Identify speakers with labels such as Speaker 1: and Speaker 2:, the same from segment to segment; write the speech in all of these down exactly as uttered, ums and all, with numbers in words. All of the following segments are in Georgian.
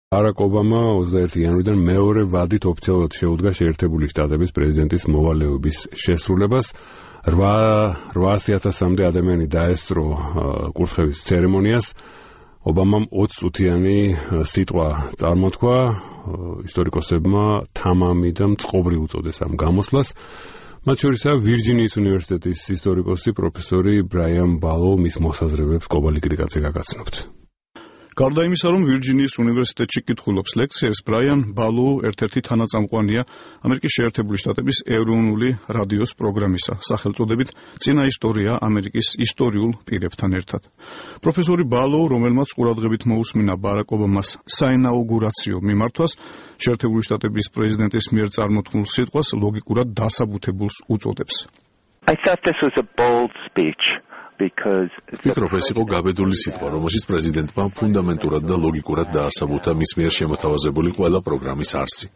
Speaker 1: ბარაკ ობამა ოცდაერთი იანვრიდან მეორე ვადით ოფიციალურად შეუდგა შეერთებული შტატების პრეზიდენტის მოვალეობის შესრულებას. რვაასი ათასამდე ადამიანი დაესწრო კურთხევის ცერემონიას. ობამამ ოცი წუთიანი სიტყვა წარმოთქვა, ისტორიკოსებმა თამამი და მწყობრი უწოდეს ამ გამოსვლას. მათ შორისაა ვირჯინიის უნივერსიტეტის ისტორიკოსი პროფესორი ბრაიან ბალო, მის მოსაზრებებს კობალი კრიკაძე გაგაცნობთ.
Speaker 2: გარდა იმისა, რომ ვირჯინიის უნივერსიტეტში კითხულობს ლექციებს, ბრაიან ბალო ერთ-ერთი თანაწამყვანია ამერიკის შეერთებული შტატების ეროვნული რადიოს პროგრამისა, სახელწოდებით წინა ისტორია ამერიკის ისტორიულ პირებთან ერთად. პროფესორი ბალო, რომელმაც ყურადღებით მოусმინა ბარაკ ობამას საინაუგურაციო მიმართვას, შეერთებული შტატების პრეზიდენტის მიერ წარმოთქმულ სიტყვას ლოგიკურად დასაბუთებულს უწოდებს.
Speaker 3: I thought this was a bold speech.
Speaker 4: ვფიქრობ, ეს იყო გაბედული სიტყვა, რომელშიც პრეზიდენტმა ფუნდამენტურად და ლოგიკურად დაასაბუთა მის მიერ შემოთავაზებული ყველა პროგრამის არსი.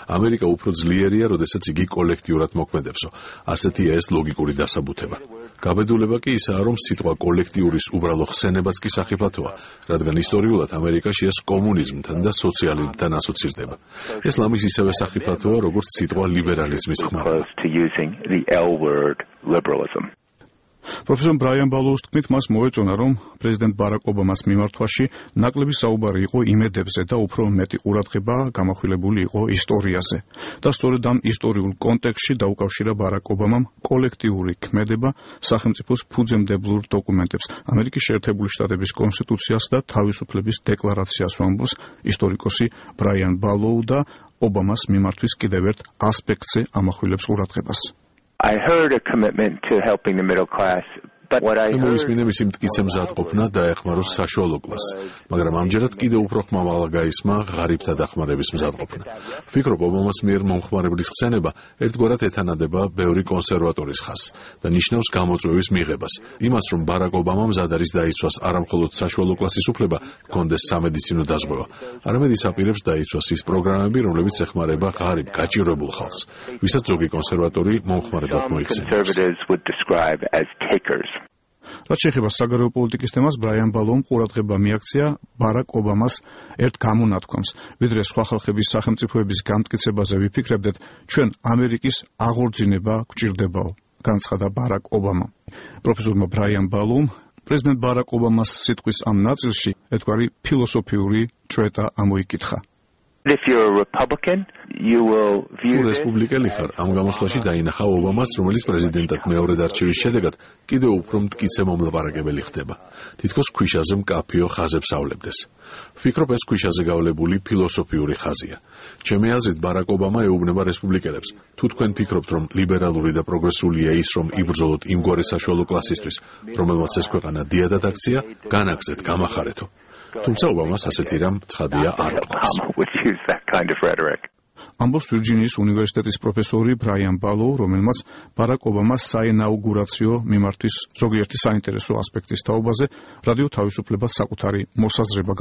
Speaker 4: ამერიკა უფრო ძლიერია, როდესაც იგი კოლექტიურად მოქმედებსო. ასეთია ეს ლოგიკური დასაბუთება. გაბედულება კი ისაა, რომ სიტყვა კოლექტიურის უბრალო ხსენებაც კი სახიფათოა, რადგან ისტორიულად ამერიკაში ეს კომუნიზმთან და სოციალიზმთან ასოცირდება. ეს ლამის ისევე სახიფათოა, როგორც სიტყვა ლიბერალიზმის ხმარება.
Speaker 2: პროფესორ ბრაიან ბალოუს თქმით, მას მოეწონა, რომ პრეზიდენტ ბარაკ ობამას მიმართვაში ნაკლები საუბარი იყო იმედებზე და უფრო მეტი ყურადღება გამახვილებული იყო ისტორიაზე. და სწორედ ამ ისტორიულ კონტექსტში დაუკავშირა ბარაკ ობამამ კოლექტიური ქმედება სახელმწიფოს ფუძემდებლურ დოკუმენტებს, ამერიკის შეერთებული შტატების კონსტიტუციას და თავისუფლების დეკლარაციას, ამბობს ისტორიკოსი ბრაიან ბალოუ და ობამას მიმართვის კიდევ ერთ ასპექტზე ამახვილებს ყურადღებას.
Speaker 3: I heard a commitment to helping the middle class, but what I heard
Speaker 4: მოისმინე მისი მტკიცე მზადყოფნა დაეხმაროს საშუალო კლასს, მაგრამ ამჯერად კიდევ უფრო ხმამაღლა გაისმა ღარიბთა დახმარების მზადყოფნა. ვფიქრობ, ობამას მიერ მომხმარებლის ხსენება ერთგვარად ეთანადება ბევრი კონსერვატორის ხაზს და ნიშნავს გამოწვევის მიღებას. იმას, რომ ბარაკ ობამა მზად არის დაიცვას არამხოლოდ საშუალო კლასის უფლება, ჰქონდეს სამედიცინო დაზღვევა, არამედ ის აპირებს დაიცვას ის პროგრამები, რომლებიც ეხმარება ღარიბ, გაჭირვებულ ხალხს, ვისაც ზოგი კონსერვატორი მომხმარებლად მოიხსენიებს.
Speaker 2: რაც შეეხება საგარეო პოლიტიკის თემას, ბრაიან ბალოუმ ყურადღება მიაქცია ბარაკ ობამას ერთ გამონათქვამს. ვიდრე სხვა ხალხების სახელმწიფოების განმტკიცებაზე ვიფიქრებდეთ, ჩვენ ამერიკის აღორძინება გვჭირდებაო, განცხადა ბარაკ ობამა. პროფესორმა ბრაიან ბალოუმ პრეზიდენტ ბარაკ ობამას სიტყვის ამ ნაწილში ერთგვარი ფილოსოფიური ჭრეტა ამოიკითხა.
Speaker 3: If you're a Republican, you will view
Speaker 4: თუ რესპუბლიკელი ხარ, ამ გამოსვლაში დაინახა ობამას, რომელიც პრეზიდენტად მეორედ არჩევის შედეგად კიდევ უფრო მტკიცე მომლაპარაკებელი ხდება. თითქოს ქვიშაზე მკაფიო ხაზებს ავლებდეს. ვფიქრობ, ეს ქვიშაზე გავლებული ფილოსოფიური ხაზია. ჩემი აზრით, ბარაკ ობამა ეუბნება რესპუბლიკელებს. თუ თქვენ ფიქრობთ, რომ ლიბერალური და პროგრესულია ის, რომ იბრძოლოთ იმგვარი საშუალო კლასისთვის, რომელმაც ეს ქვეყანა დიადად აქცია, განაგზეთ, გამახარეთო. თუმცა ობამას ასეთი რამ ცხადია არ უთქვას.
Speaker 2: ამბობს ვირჯინიის უნივერსიტეტის პროფესორი ბრაიან ბალოუ, რომელმაც ბარაკ ობამას საინაუგურაციო მიმართვის ზოგიერთი საინტერესო ასპექტის თაობაზე რადიო თავისუფლებას საკუთარი მოსაზრება